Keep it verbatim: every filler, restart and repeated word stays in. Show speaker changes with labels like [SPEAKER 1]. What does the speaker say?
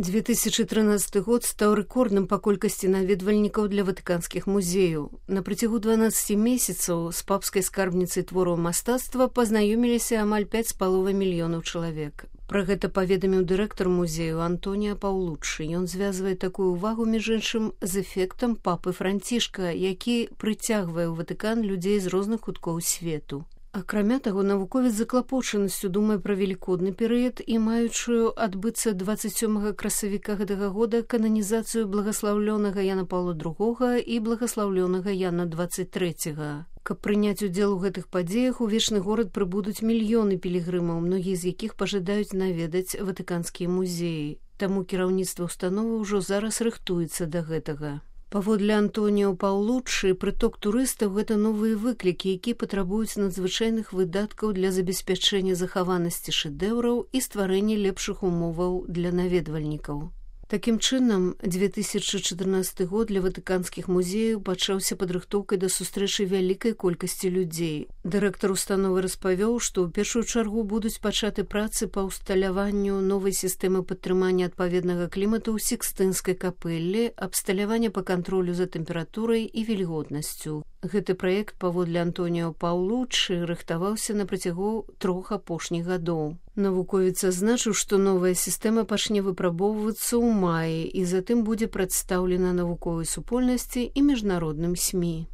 [SPEAKER 1] две тысячи тринадцаты год стаў рэкордным па колькасці наведвальнікаў для ватыканскіх музеяў. На працягу дванаццаці месяцаў з папскай скарбніцай твораў мастацтва пазнаёміліся амаль пяць з паловай мільёнаў чалавек. Пра гэта паведаміў дырэктар музею Антоніа Паўлуччы. Ён звязвае такую ўвагу, між іншым, з эфектам папы Францішка, які прыцягвае ў Ватыкан людзей з розных куткоў свету. Акрамя таго, навуковец з заклапочанасцю думае пра велікодны перыяд і маючую адбыцца дваццаць сёмага красавіка гэтага года кананізацыю благаслаўлёнага Яна Паўла другога і благаслаўлёнага Яна дваццаць трэцяга. Каб прыняць удзел у гэтых падзеях, у вечны горад прыбудуць мільёны пілігрымаў, многія з якіх пажадаюць наведаць ватыканскія музеі. Таму кіраўніцтва ўстановы ўжо зараз рыхтуецца да гэтага. Паводле Антоніо Паўлуччы, прыток турыстаў – гэта новыя выклікі, якія патрабуюць надзвычайных выдаткаў для забеспячэння захаванасці шэдэўраў і стварэння лепшых умоваў для наведвальнікаў. Такім чынам, две тысячи чатырнаццаты год для ватыканскіх музеяў пачаўся падрыхтоўкай да сустрэчы вялікай колькасці людзей. Дырэктар установы распавёў, што ў першую чаргу будуць пачаты працы па ўсталяванню новай сістэмы падтрымання адпаведнага клімату ў Сікстынскай капэллі, абсталявання па кантролю за тэмпературай і вільготнасцю. Гэты праект, паводле Антоніо Паўлуччы, рыхтаваўся на працягу трох апошніх гадоў. Навуковец азначыў, што новая сістэма пачне выпрабоўвацца ў маі і затым будзе прадстаўлена навуковай супольнасці і міжнародным СМІ.